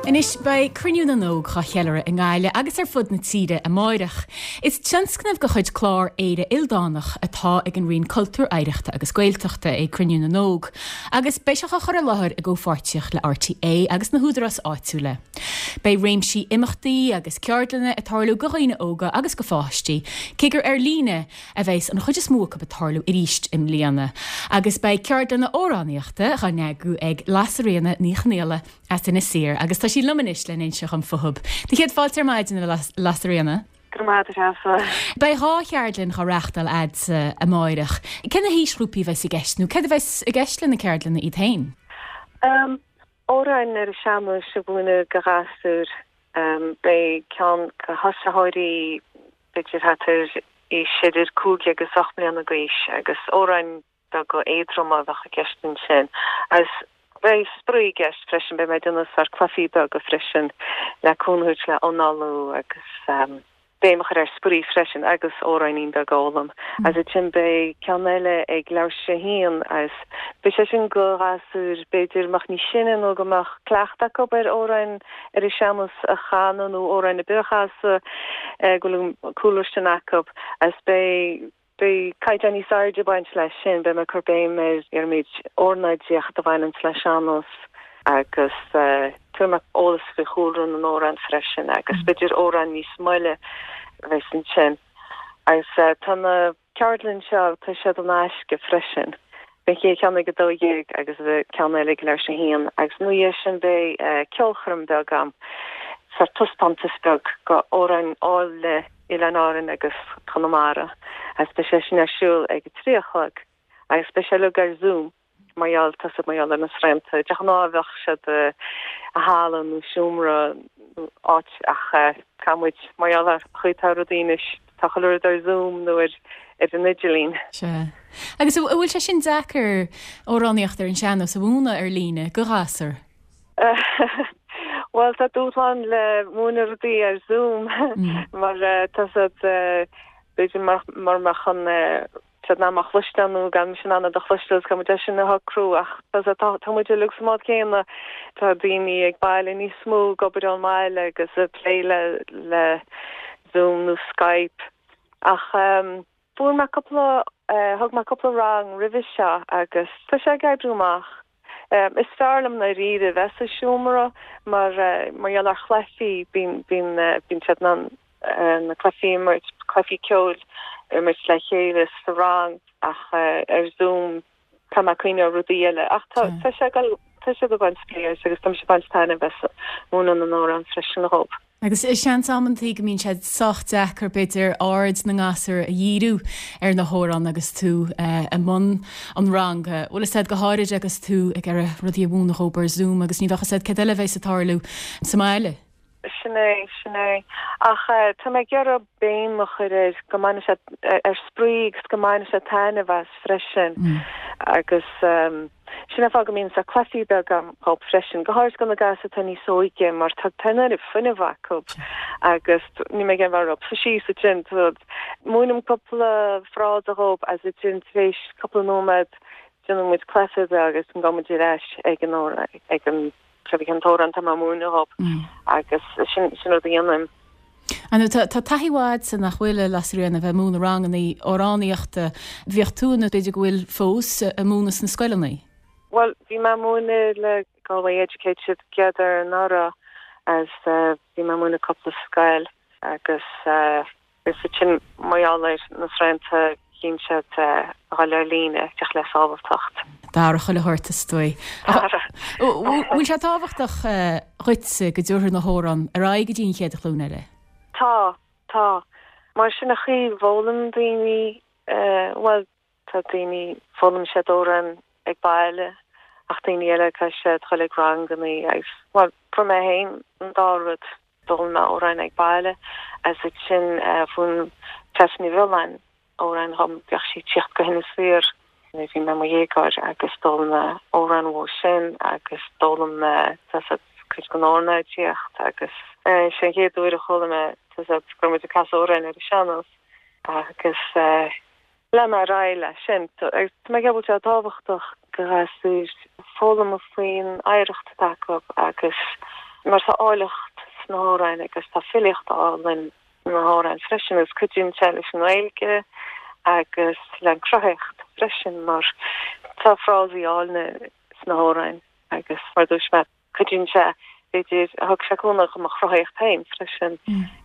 Anois, beidh Cruinniú na nÓg dhá cheiliúradh i nGaillimh agus ar fud na tíre amáireach. Is tionscnamh de chuid clár Éire Ildánach atá ag an Roinn Cultúir, Oidhreachta agus Gaeltachta é Cruinniú na nÓg agus beidh sé á chur i láthair i gcomhpháirtíocht le RTÉ agus na húdaráis áitiúla. Beidh réimsí imeachtaí agus ceardlanna ag tarlú go dhaoine óga agus go pháistí, cé gur ar líne a bheas an chuid is mó acu ag tarlú arís i mbliana. Agus beidh ceardlanna amhránaíochta dhá n-eagrú ag Lasairfhíona Ní Chonghaile as Inis Oírr agus tá sí liom anois le n-inse dhom fúthub. Do chéad fáilte ar maidin, a Lasairfhíona. Go raibh maith agat, a Threasa. Beidh 2 cheardlann dhá reachtáil a'dsa amáireach. Cé na haoisghrúpaí a bheas i gceist nó céard a bheas i gceist le na ceardlanna iad féin? Amhráin ar an sean-nós a mhúineadh go ghasúir. Beidh ceann go thosaitheoirí b'fhéidir thart ar aois idir 5 agus 8 mbliana d'aois agus amhráin beaga éadroma a bheadh i gceist ansin. Agus beidh spraoi i gceist freisin, beidh mé ag déanamh sórt cluichí beaga freisin le cúnamh a thabhairt le análú agus béim a chur ar spraoi freisin agus amhráinín beag a fhoghlaim. Agus ansin beidh ceann eile ag leathuair tar éis a haon agus beidh sé sin go ghasúir b'fhéidir a mbeadh níos sine nó go mbeadh cleachtadh acu ar amhráin ar an sean-nós a chanadh nó amhráin ar bith a chasadh go bhfuil an cúlra sin acu agus beidh Beidh caighdeán níos airde ag baint leis sin, beidh mé ag cur béim ar ar an méid ornáidíocht a bhaineanns le sean-nós agus tabharfaidh mé eolas faoi chúlra na n-amhrán freisin agus b'fhéidir amhráin níos moille a bheas ansin. Agus tá na ceardlann seo, tá siad in aisce freisin. Beidh an chéad cheann ag 12 agus an ceann eile ag leathuair tar éis a haon agus ina dhiaidh sin beidh ceolchoirm beag a'm, sórt taispeántas beag go amhráin áille Oileáin Árann agus Conamara agus beidh sé sin ar siúl ag a 3 a chlog agus beidh sé uilig ar Zoom mar gheall, tá siad mar gheall ar na srianta. De ghnáth bheadh siad i halla nó seomra nó áit ach caithfidh muid mar gheall ar an chaoi atá rudaí anois. Tá chuile rud ar Zoom nó ar an idirlíon. Sea. Agus an bhfuil sé sin deacair, amhránaíocht ar an sean-nós a mhúineadh ar líne go ghasúr? Bhuel, tá dúshlán le múineadh rudaí ar Zoom mar tá siad, b'fhéidir mar mbeadh an siad in ann mé a chloisteáil nó gan mise in ann iad a chloisteáil is caithfidh muid é sin a shocrú ach tá tá muid uilig sa mbád céanna. Tá daoine ag baile níos mó ag obair ón mbaile agus ag plé le le Zoom nó Skype ach fuair mé cúpla thug mé cúpla rang roimhe seo agus tá sé ag oibriú amach. Is fearr liom ndáiríre bheith sa seomra mar mar gheall ar chluichí bíonn bíonn bíonn siad in ann na cluichí a imirt, cluichí ceoil a imirt le chéile sa rang ach ar Zoom tá mé ag cuimhneamh ar rudaí eile ach tá tá sé ag dul tá siad ag baint spraoi as agus tá mise ag baint taitneamh as múineadh na n-amhrán freisin dhóibh. Agus seans amantaí go mbíonn sé sách deacair, b'fhéidir, aird na ngasúr a dhíriú ar na hamhráin agus tú i mbun an ranga. Bhfuil fhios a'd, go háirid agus tú ag iarraidh rudaí a mhúineadh dhóibh ar Zoom agus ní bheadh fhios a'd céard eile a bheas ag tarlú sa mbaile. Sin é, sin é. Ach tá mé ag iarraidh béim a chur ar go mbainfidh siad, ar spraoi agus go mbainfidh siad taitneamh as freisin. Agus. Sin an fáth go mbíonn sórt cluichí beaga agam dhóibh freisin, go háirid do na gasúir atá níos óige mar tá an oiread fuinnimh acu agus níl mé ag iarraidh bheith orthu síos ansin. Múinim cúpla frása dhóibh agus ansin tar éis cúpla nóiméad déanann muid cluiche beag agus gabhann muid ar ais ag an ag an cén t-amhrán atá mé ag múineadh dhóibh agus sin sin rud a dhéanaim. Ar ndóigh, tá taithí mhaith a'dsa nach bhfuil, a Lasairfhíona, a bheith ag múineadh ranganna amhránaíochta. Bhíodh tú, nó b'fhéidir go bhfuil fós, ag múineadh sna scoileanna? Bhuel, bhí mé ag múineadh le Galway Educate siad gcéad anuraidh agus bhí mé ag múineadh cúpla scoil agus Is ansin mar gheall ar na srianta chinn siad a dhul ar líne, féach le sábhaltacht. D'athraigh chuile shórt is dóigh. Bhfuil sé tábhachtach dhuitse go dtabharfar na hamhráin ar aghaidh go dtí an chéad ghlúin eile? Tá, tá. Mar sin an chaoi a bhfoghlaim daoine, bhuel, Tá daoine, foghlaim siad amhráin ag baile ach daoine eile caithfidh siad dhul ag rangannaí agus, bhuel, fuair mé féin an dá rud, d'fhoghlaim mé amhráin ag baile agus ansin mhúin Treasa Ní Bhreoláin amhráin dhom, bhíodh sí ag tíocht go hInis Oírr nuair a bhí mé i mo dhéagóir agus d'fhoghlaim mé amhráin uaithi sin agus d'fhoghlaim mé tá 's a'd cuid den ornáidíocht agus sé an chéad uair a chuala mé tá 's a'd go raibh muid ag casadh amhráin ar an sean-nós agus Lean mé ar aghaidh leis sin. Tá mé ag ceapadh go bhfuil sé tábhachtach go ghasúir foghlaim faoin oidhreacht atá acu agus. Mar tá áilleacht sna hamhráin agus tá filíocht álainn sna hamhráin freisin agus cuidíonn sé leis an nGaeilge agus le an cruthaitheacht freisin mar tá frásaí áilne sna hamhráin agus mar dúirt mé Cuidíonn sé, b'fhéidir, thug sé cúnamh do mo chruthaíocht féin freisin,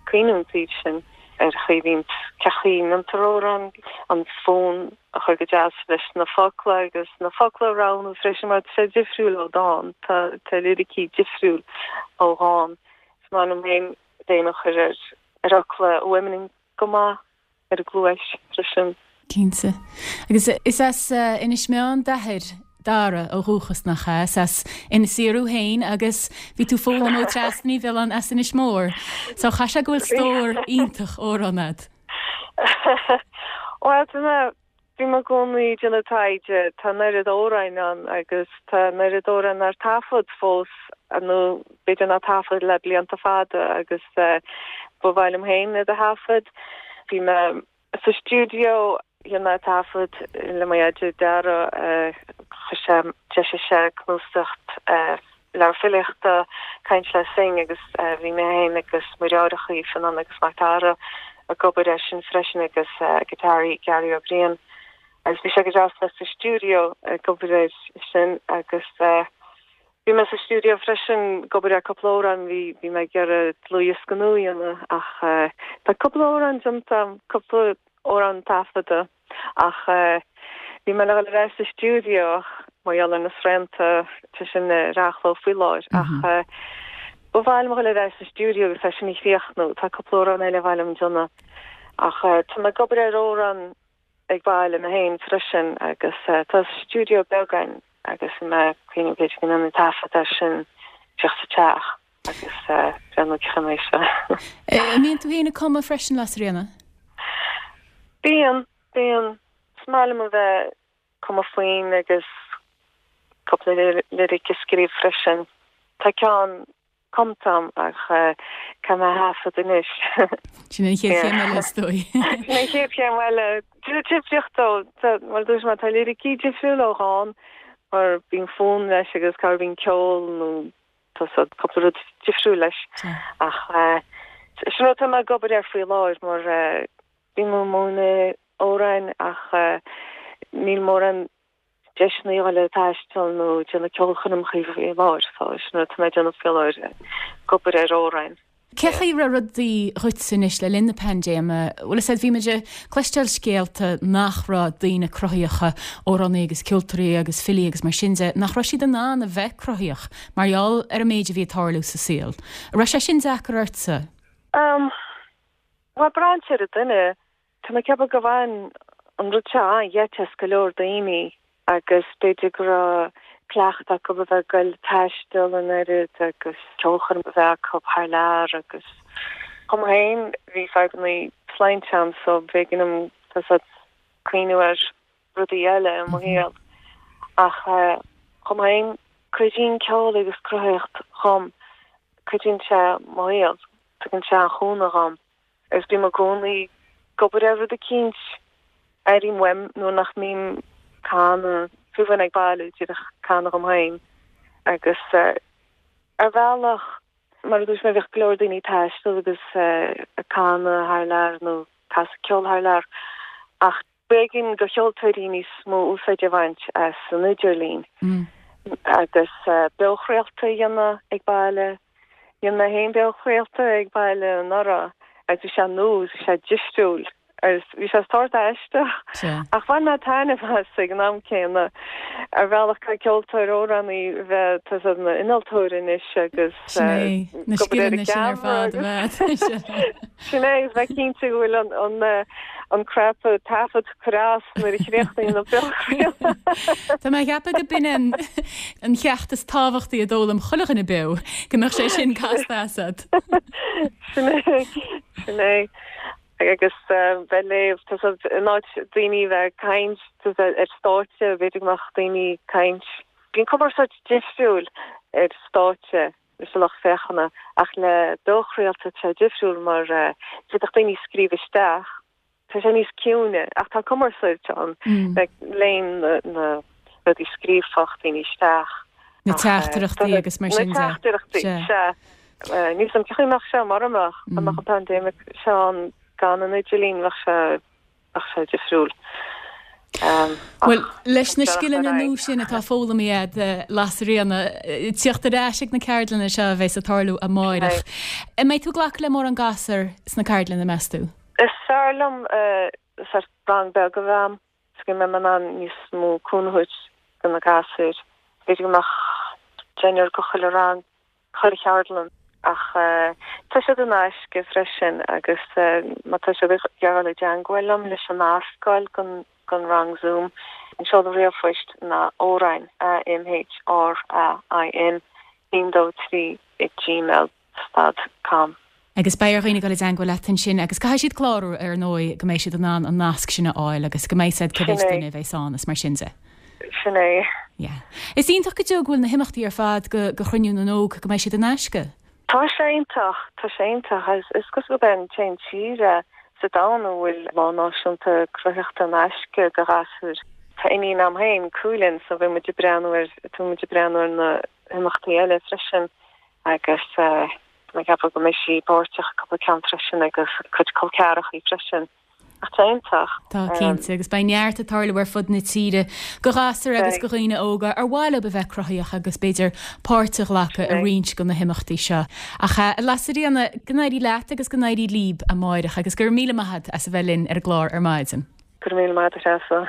cuimhniú an taobh sin ar chaoi a bhíonn, cén chaoi a ndéantar amhrán, an fonn a chur go deas leis na focla agus na focla a roghnú freisin mar tá sé difriúil ó dhán, tá tá liricí difriúil ó dhán. Is maith liom féin béim a chur ar ar fhocla a fhuaimníonn go maith. ar an gcluais freisin. Cinnte. Agus is as Inis Meáin d'athair, Dara, ó dhúchas, nach ea? Is as Inis Oírr thú féin agus bhí tú ag foghlaim ó Treasa Ní Mhiolláin as Inis Mór. So chaithfidh sé go bhfuil stór iontach amhrán agat. Bhuel, tá mé Bím i gcónaí ag déanamh taighde, tá an oiread amhráin ann agus tá an oiread amhráin nár taifead fós nó b'fhéidir nár taifead le blianta fada agus ba mhaith liom féin iad a thaifead. Bhí mé sa stiúideo, dhein mé taifead le mo dheaide Dara, chuir sé, d'eisigh sé cnuasach leabhar filíochta, Caint le Synge agus bhí mé féin agus mo dheartháireacha Fionán agus Mac Dara ag obair air sin freisin agus giotáraí Gary Ó Briain agus bhí sé go deas bheith sa stiúideo ag obair air sin agus bhí mé sa stiúideo freisin ag obair ar cúpla amhrán, bhí bhí mé ag iarraidh dlúthdhiosca nua a dhéanamh ach tá cúpla amhrán déanta, cúpla amhrán taifeadta. Ach bhí mé le dhul ar ais sa stiúideo ach mar gheall ar na srianta, tá sin ar athló faoi láthair. Ach ba mhaith liom dhul ar ais sa stiúideo agus é sin a chríochnú. Tá cúpla amhrán eile ar mhaith liom déanamh. Ach tá mé ag obair ar amhrán ag baile mé féin freisin agus tá stiúideo beag againn agus bhí mé ag cuimhneamh b'fhéidir go ndéanfainn taifead air sin díreach sa teach agus breathnú cén chaoi a mbeidh sé. An mbíonn tú féin ag cumadh freisin, Lasairfhíona? Bíonn, bíonn. Is maith liom a bheith ag cumadh foinn agus cúpla liric a scríobh freisin. Tá ceann cumtha agam ach caithfidh mé a thaifead anois. Sin an chéad chéim eile is dóigh. Sin an chéad chéim eile. Difríocht ó, mar a dúirt mé, tá liricí difriúil ó dhán mar bíonn fonn leis agus cá bíonn ceol nó tá cúpla rud difriúil leis. Ach sin rud atá mé ag obair air faoi láthair mar bím ag múineadh amhráin ach níl mórán deiseanna a dhul ag taisteal nó déanamh ceolchoirmeacha faoi láthair so sin rud atá mé ag déanamh faoi láthair, ag obair ar amhráin. Cé chaoi a raibh rudaí dhuit anois le linn na paindéime? Bhuel, is ea, bhí muid ag cloisteáil scéalta nach raibh daoine cruthaíocha, amhránaí agus ceoltóirí agus filí agus mar sin de, nach raibh siad in ann a bheith cruthaíoch mar gheall ar an méid a bhí ag tarlú sa saol. An raibh sé sin deacair ortsa? Umm, bhuel, braitheann sé ar an duine. Tá mé ag ceapadh gur bhain an rud seo an-gheit as go leor daoine agus b'fhéidir go raibh cleachtadh acu a bheith ag goil ag taisteal an oiread agus ceolchoirm a bheith acu thar lear agus dhom féin bhí fadhbanna sláinte agam so b'éigean dom tá a fhios agat cuimhniú ar rudaí eile i mo shaol ach dhom féin cuidíonn ceol agus cruthaitheacht dhom, cuidíonn sé mo shaol, tugann sé an-chúnamh dhom. Agus bím i gcónaí ag obair ar rud eicínt, airím uaim nuair nach mbím ag canadh, fiú amháin ag baile, díreach canadh dhom féin. Agus ar bhealach, mar a dúirt mé, bhíodh go leor daoine ag taisteal agus ag canadh thar lear nó casadh ceol thar lear ach B'éigean do cheoltóirí níos mó úsáid a bhaint as an idirlíon agus beochraolta a dhéanamh ag baile. Dhein mé féin beochraolta ag baile anuraidh agus bhí sé nua agus bhí sé difriúil agus bhí sé sórt aisteach ach bhain mé taitneamh as ag an am céanna. Ar bhealach caithfidh ceoltóir amhránaí bheith tá a fhios agat ina innealtóir anois agus Sin é, na ag obair ar an scileanna sin ar fad a bheith. Sin é, agus bheith cinnte go bhfuil an an cnaipe taifead curtha as nuair a chríochnaíonn an beochraoladh. Tá mé ag ceapadh go b'in an an cheacht is tábhachtaí a d'fhoghlaim chuile dhuine beo, go mbeadh sé sin casta asat. Sin é, sin é. Agus bheith ag léamh, tá a fhios agat, in áit daoine bheith ag caint tá a fhios agat ar stáitse, b'fhéidir go mbeadh daoine ag caint, bíonn cumarsáid difriúil ar stáitse. leis an lucht féachana ach le beochraolta tá sé difriúil mar d'fhéadfadh daoine scríobh isteach, tá sé níos ciúine ach tá cumarsáid ann, like léann na rudaí scríobhfadh daoine isteach. Na teachtaireachtaí agus mar sin de. Na teachtaireachtaí, sea. Níl 'fhios a'm cén chaoi a mbeadh sé mura mbeadh, dá mbeadh an paindéimic seo ann gan an idirlíon, bheadh sé, bheadh sé difriúil. Bhuel, leis na scileanna nua sin atá foghlamtha a'd, a Lasairfhíona, tíocht ar ais ag na ceardlanna seo a bheas ag tarlú amáireach. An mbeidh tú ag glacadh le mórán gasúr sna ceardlanna, meas tú? Is fearr liom sórt rang beag a bheith a'm. Is go mbeidh mé in ann níos mó cúnamh a thabhairt do na gasúir. B'fhéidir go mbeadh deichniúr go chuile rang, chuile cheardlann. Ach tá siad in aisce freisin agus má tá siad ag iarraidh dul i dteangmháil liom leis an nasc a fháil don rang Zoom, an seoladh ríomhphoist ná amhrain, A-M-H-R-A-I-N, 1 2 3 ag gmail. Stad com. Agus beidh ar dhaoine dul i dteangmháil leat ansin agus caithfidh siad clárú ar ndóigh go mbeidh siad in ann an nasc sin a fháil agus go mbeidh a fhios a'd cé mhéid duine a bheas ann is mar sin de. Sin é. Yeah. Is iontach go deo go bhfuil na himeachtaí ar fad go go Chruinniú na nÓg go mbeidh siad in aisce. Tá sé iontach, tá sé iontach. Is cosúil gurb é an t-aon tír é sa domhan a bhfuil Lá Náisiúnta Cruthaitheachta in aisce do ghasúir. Tá iníon a'm féin, Cualann, so bhí muid ag breathnú ar, tá muid ag breathnú ar na himeachtaí eile freisin. agus tá mé ag ceapadh go mbeidh sí páirteach i gcúpla ceann freisin agus a cuid col ceathrachaí freisin. Ach tá iontach. Tá, cinnte, agus beidh neart ag tarlú ar fud na tíre go ghasúir agus go dhaoine óga ar mhaith leo a bheith cruthaíoch agus b'fhéidir páirt a ghlacadh i roinnt de na himeachtaí seo. Ach a Lasairfhíona, go n-éirí leat agus go n-éirí líb amáireach agus go raibh míle maith agat as a bheith linn ar an gclár ar maidin. Go raibh míle maith agat, a Threasa.